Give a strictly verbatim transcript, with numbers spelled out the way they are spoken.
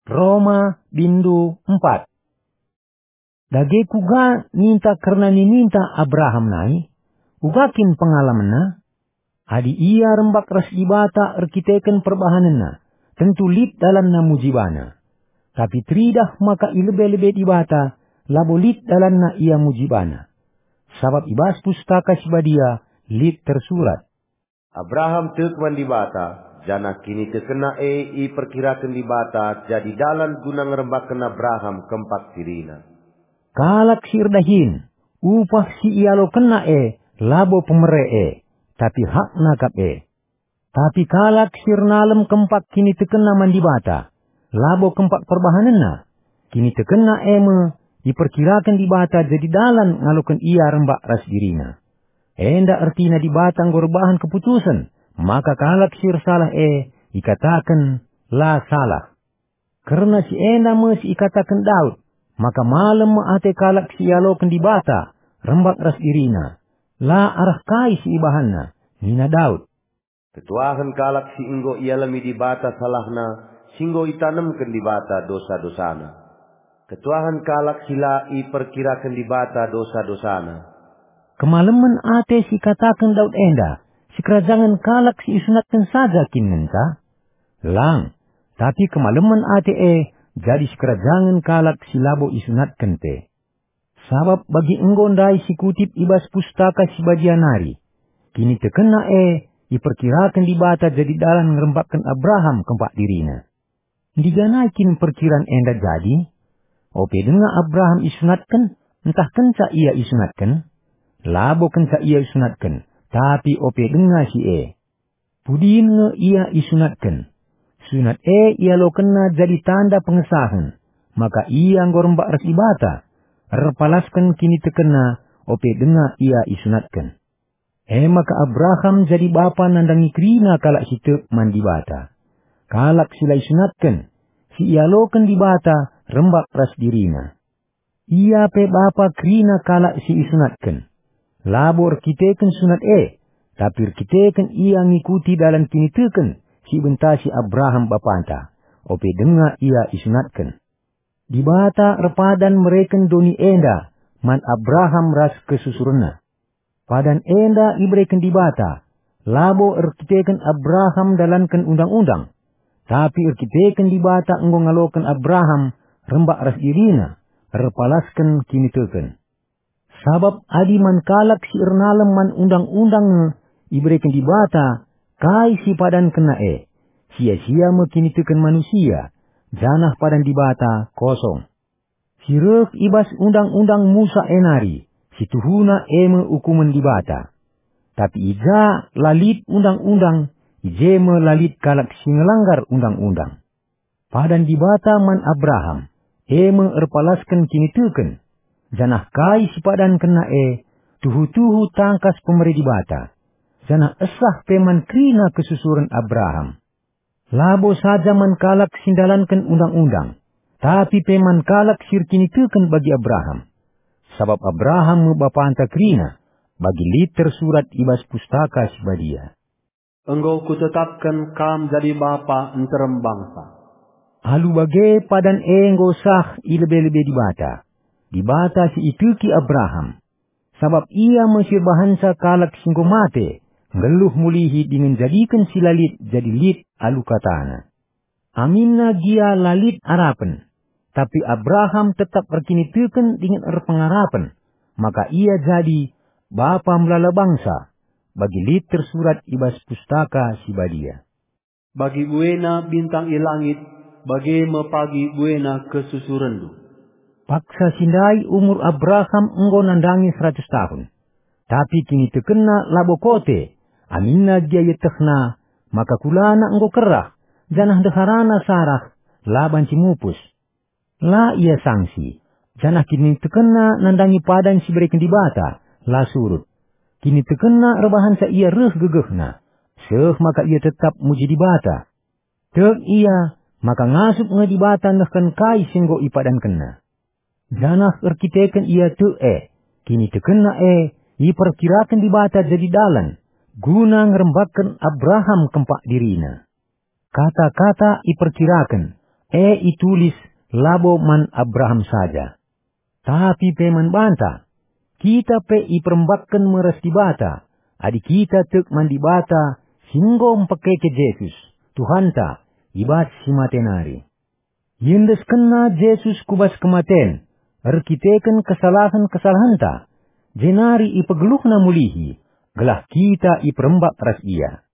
Roma bindu empat. Dage kuga ninta kerna nininta Abraham nai? Uga kin pengalamenna? Adi ia rembak ras Dibata erkiteken perbahanenna, tentu lit dalanna muji bana. Tapi teridah maka i lebe-lebe Dibata, labo lit dalanna ia muji bana. Sabap i bas Pustaka Si Badia lit tersurat, "Abraham tek man Dibata, janah kinitekenna e iperkiraken Dibata jadi dalan guna ngerembakken Abraham kempak dirina." Kalak si erdahin, upah si ialokenna e labo pemere e, tapi hakna kap e. Tapi kalak si ernalem kempak kinitekenna man Dibata, labo kempak perbahanenna. Kinitekenna e me iperkiraken Dibata jadi dalan ngaloken ia rembak ras dirina. Enda ertina Dibata enggo erbahan keputusen maka kalak si ersalah e ikataken la salah. Kerna si enda me si ikataken Daud, maka malem me ate kalak si ialoken Dibata rembak ras dirina. La arah kai si ibahanna, nina Daud. Ketuahen kalak si enggo ialemi Dibata salahna, si enggo itanemken Dibata dosa-dosana. Ketuahen kalak si la iperkiraken Dibata dosa-dosana. Kemalemen ate si kataken Daud enda, sikerajangen kalak si isunatken saja kin ngenca? Lang, tapi kemalemen ate e jadi sikerajangen kalak si labo isunatken pe. Sabap bagi enggo ndai si kutip i bas Pustaka Si Badia nari, kinitekenna e iperkiraken Dibata jadi dalan ngerembakken Abraham kempak dirina. Ndiganai kin perkiran enda jadi? Ope denga Abraham isunatken, ntah kenca ia isunatken? Labo kenca ia isunatken, tapi ope denga si e. Pudin nge ia isunatken. Sunat e ialokenna jadi tanda pengesahen, maka ia enggo rembak ras Dibata, erpalasken kinitekenna ope denga ia isunatken. E maka Abraham jadi bapa nandangi kerina kalak si tek man Dibata. Kalak si la isunatken, si ialoken Dibata rembak ras dirina. Ia pe bapa kerina kalak si isunatken. Labo erkiteken sunat e, tapi erkiteken ia ngikuti dalan kiniteken si ibentasi Abraham bapanta, ope denga ia isunatken. Dibata erpadan mereken doni enda man Abraham ras kesusurenna. Padan enda ibereken Dibata, labo erkiteken Abraham ndalanken undang-undang, tapi erkiteken Dibata enggo ngaloken Abraham rembak ras dirina, erpalasken kiniteken. Sabap adi man kalak si ernalem man undang-undang nge ibereken Dibata kai si padankenna e, sia-sia me kiniteken manusia, janah padan Dibata kosong. Si reh i bas Undang-undang Musa e nari, si tuhuna e me ukumen Dibata. Tapi i ja la lit Undang-undang, i je me la lit kalak si ngelanggar Undang-undang. Padan Dibata man Abraham, e me erpalasken kiniteken, janah kai si padankenna e, tuhu-tuhu tangkas pemere Dibata, janah esah pe man kerina kesusuren Abraham. Labo saja man kalak si ndalanken Undang-undang, tapi pe man kalak si erkiniteken bagi Abraham. Sabap Abraham me bapanta kerina, bagi lit tersurat i bas Pustaka Si Badia. "Enggo kutetapken kam jadi bapa nterem bangsa." Alu bage padan e enggo sah i lebe-lebe Dibata, Dibata si iteki Abraham. Sabap ia me si erbahanca kalak si enggo mate, nggeluh mulihi dingen jadiken si la lit jadi lit alu kataNa. Aminna gia la lit arapen, tapi Abraham tetap erkiniteken dingen erpengarapen, maka ia jadi bapa melala bangsa, bagi lit tersurat i bas Pustaka Si Badia. "Bagi buena bintang i langit, bage me pagi buena kesusurenndu." Paksa si ndai umur Abraham enggo nandangi seratus tahun. Tapi kinitekenna labo kote, aminna gia ietehna maka kulana enggo kerah, janah ndeharana Sarah la banci mupus. La ia sangsi, janah kinitekenna nandangi padan si ibereken Dibata la surut. Kinitekenna erbahanca ia reh gegehna, seh maka ia tetap muji Dibata. Tek ia maka ngasup nge Dibata nehken kai si enggo ipadankenna. Janah erkiteken ia tek e, kinitekenna e iperkiraken Dibata jadi dalan guna ngerembakken Abraham kempak dirina. Kata-kata iperkiraken e itulis labo man Abraham saja, tapi pe man banta. Kita pe iperembakken me ras Dibata, adi kita tek man Dibata si enggo mpekeke Jesus, Tuhanta, i bas si mate nari. Iendeskenna Jesus ku bas kematen, erkiteken kesalahen-kesalahenta, jenari ipegeluhna mulihi, gelah kita iperembak ras IA.